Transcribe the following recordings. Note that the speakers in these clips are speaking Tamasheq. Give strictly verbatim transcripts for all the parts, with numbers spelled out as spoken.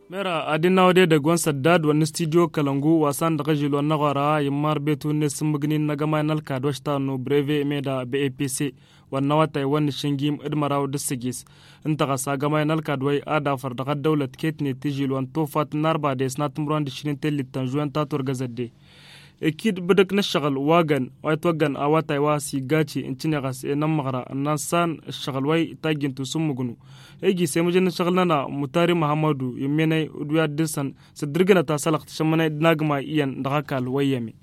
Mera ad-innă wădedăgg wa n-săddad wa n-studyo kălăngu wa s-an dăɣ-ažil wa n-aɣora immar betu n-esǝmmǝgnin n-agămay n-ălkad wa s-tannu breve meda bepc wa n-awătay wa n-išǝngim d-măraw d-ǝssǝjis. Ǝnta ɣas agămay n-ălkad wa i-ad-afăr dăɣ-ăddăwlăt ketnet ažil wa n-tofat n-arbades n-ad-tǝmrǝwăn d-išǝnnin tellit ta n-žuwen ta turgăzădde. Ikid bǝdǝk n-ǝššăɣǝl wa găn wa itwăggăn awătay wa s-iggaci n-tiniɣăs i-nămmăɣra n-ansan ǝššăɣǝl wa i-tajjǝntu s-ǝmmǝgnu. Iji s-emǝjăn n-ǝššăɣǝl-nănăɣ mutari muhammadu immenăy d-wi ad-dăr-săn s-dd-irgǝnăt asălăɣ tǝšămmănăy d-nagma iyyăn dăɣ-ăkall wa iyyăme.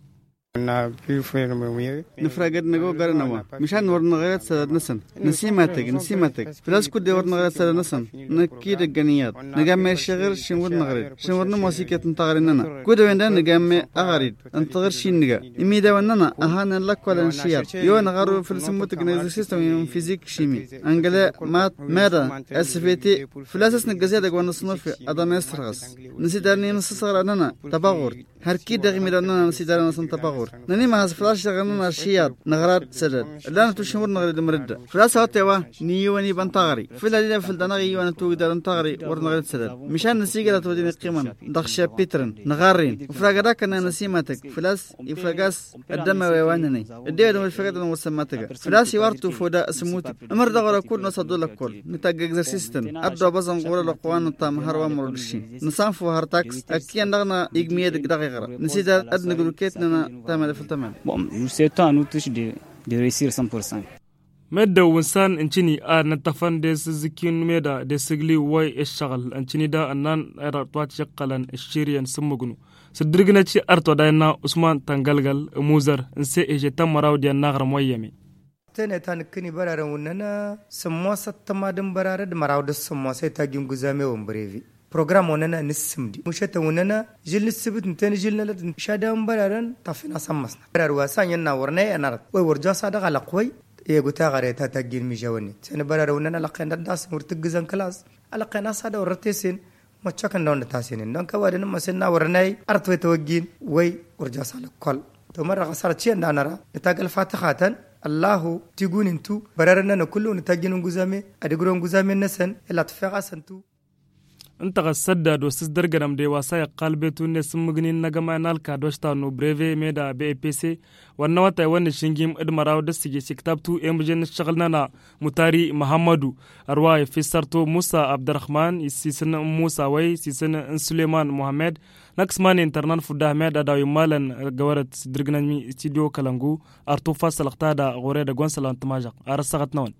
Nǝfragăd năgogărăn a-wa măšan wăr năɣred sădăd-năsăn. Năsimatăg năsimatăg făl-a-s kud-e wăr năɣred sădăd-năsăn. Năkk-i d-ăggăn iyyăḍ nǝgamme ašăɣǝr šin wăr năɣred šin wăr nămoos iket n-taɣre-nănăɣ. Kud-ăwen da nǝgamme aɣarid ǝnta ɣăr šin nǝga imidawăn-nănăɣ a hanen lăkkol n-išiyaḍ. I-wen ɣarru făll-sǝmmutǝg n-egzărsistăn wi n-fizik šimi ăngăle mat meda svt. Făl-a-s a-s nǝggăz edăgg wa n-ăṣṣunufi ad-ămesrăɣăs nǝsidalăn i-nǝssăsăɣra-nănăɣ tăbăɣurt. Hărkid dăɣ-imidawăn-nănăɣ nǝsidalăn-asăn tăbăɣurt nănimăhăz făl-a-s šăɣăn-nănăɣ ašiyyaḍ năɣrad sădăd. Ǝllanăt ušin wăr năɣrăd mărǝdda făl-a-s a-wa t-e-wa n-iyyăwăn iba n-taɣri făl-ad-ila făl-danăɣ iyyăwăn ătwăgdar n-taɣri wăr năɣrăd sădăd. Măšan nǝsigărat wădden iqqimăn dăɣ-šapitrăn năɣarren ǝfragăd akănna năsimatăg făl-a-s ifrăg-as ăddăma wa iwannănăy. Ăddewădăn wăr făgădăn wăr sămmatăga făl-a-s iwar tufoda s-ǝmmutǝg ǝmăr dăɣ-wăr-ăkul n-osa dd-olăkkol nǝtagg egzărsistăn. Ăddoobăẓăn ɣur-ălwăqq wa n-ăṭṭam hărwa mărod ǝššin nǝsanfu har taks ăkk iyyăn dăɣ-năɣ igmi edăgg dăɣ-iɣra. Nǝsidar ad-nǝgru ket-nănăɣ tamăle făll-tamăle. Bon, nu setan nu tǝš de de resir cent pour cent. Meddǝn wǝnsan ǝncǝni a nǝttăfăn d-esǝzzǝkki n-meda d-esǝgli wa i-ǝššăɣǝl ǝncǝni da ănnan erăɣ twatǝšăqqălăn ǝšširǝyăn s-ǝmmǝgnu. S-ǝddǝrǝgnăt i-ărtwăd a innă usman tăngălgăl ămuzăr n-se eže tămmăraw d-iyyăn n-aɣrǝm wa iyyăme. Tene ta nǝkkǝni bărarăn wǝnnăn sǝmmos ăttăma d-ǝnbărarăd măraw d-sǝmmos i-tajj n-guzame wa n-bărevi. Program onăna nǝssǝmdi mušătăn onăna žil nǝssǝbǝt ǝnta n-žil nălăt. Šadăwăn bărarăn tafin asămmăsna bărar wa s-anyănna wăr năy ănărăt. Wăy wăr jaw s-ad-ăɣalăq wăy i-gutăɣăre ta tajjin mižawănnen. Sănăbărarăn onăna lăqqen dăr-dasăn wăr tǝggǝzăn kălas. Alăqqen a-s ad-wăr rătesen măccăkăn dăɣ-nătasenen dăɣ-n kăwadăn n-măsen n-a wăr năy. Ărtwăy tawăjjin wăy wăr jaw s-alăkkol. Tomărrăɣ asărăt šiyăn danăra nǝtagăl fatăxatăn. Ăllahu tigunin-tu bărarăn-nănăɣ kullu nǝtajjin n-guzame ad-ǝgrǝwăn guzame-năsăn. Illa tǝffeɣ-asăn-tu. Ǝnta ɣas săddad wa s-ǝzdărgănăm de wa s-a iqqal betu n-esǝmmǝgnin n-agămay n-alkad wa s-tannu breve meda bepc wa n-awătay wa n-išǝngim d-măraw d-ǝssǝjǝs iktabtu i-mǝžăn n-ǝššăɣǝl-nănăɣ mutari măhămmădu. Ărwa ifissărtu musa abdărrăhman s-isǝn n-musa wăy s-isǝn n-suleman muhămmed. Năkk s-iman intărnan fudda ahmed ad-a-wa immalăn găwărăt s-ǝddǝrgǝnăm i-studyo kălăngu. Ar tufa sălăɣ ta da ɣur-edăgg wa n-sălăɣ n-tămažăɣt ar ăssaɣăt-năwăn.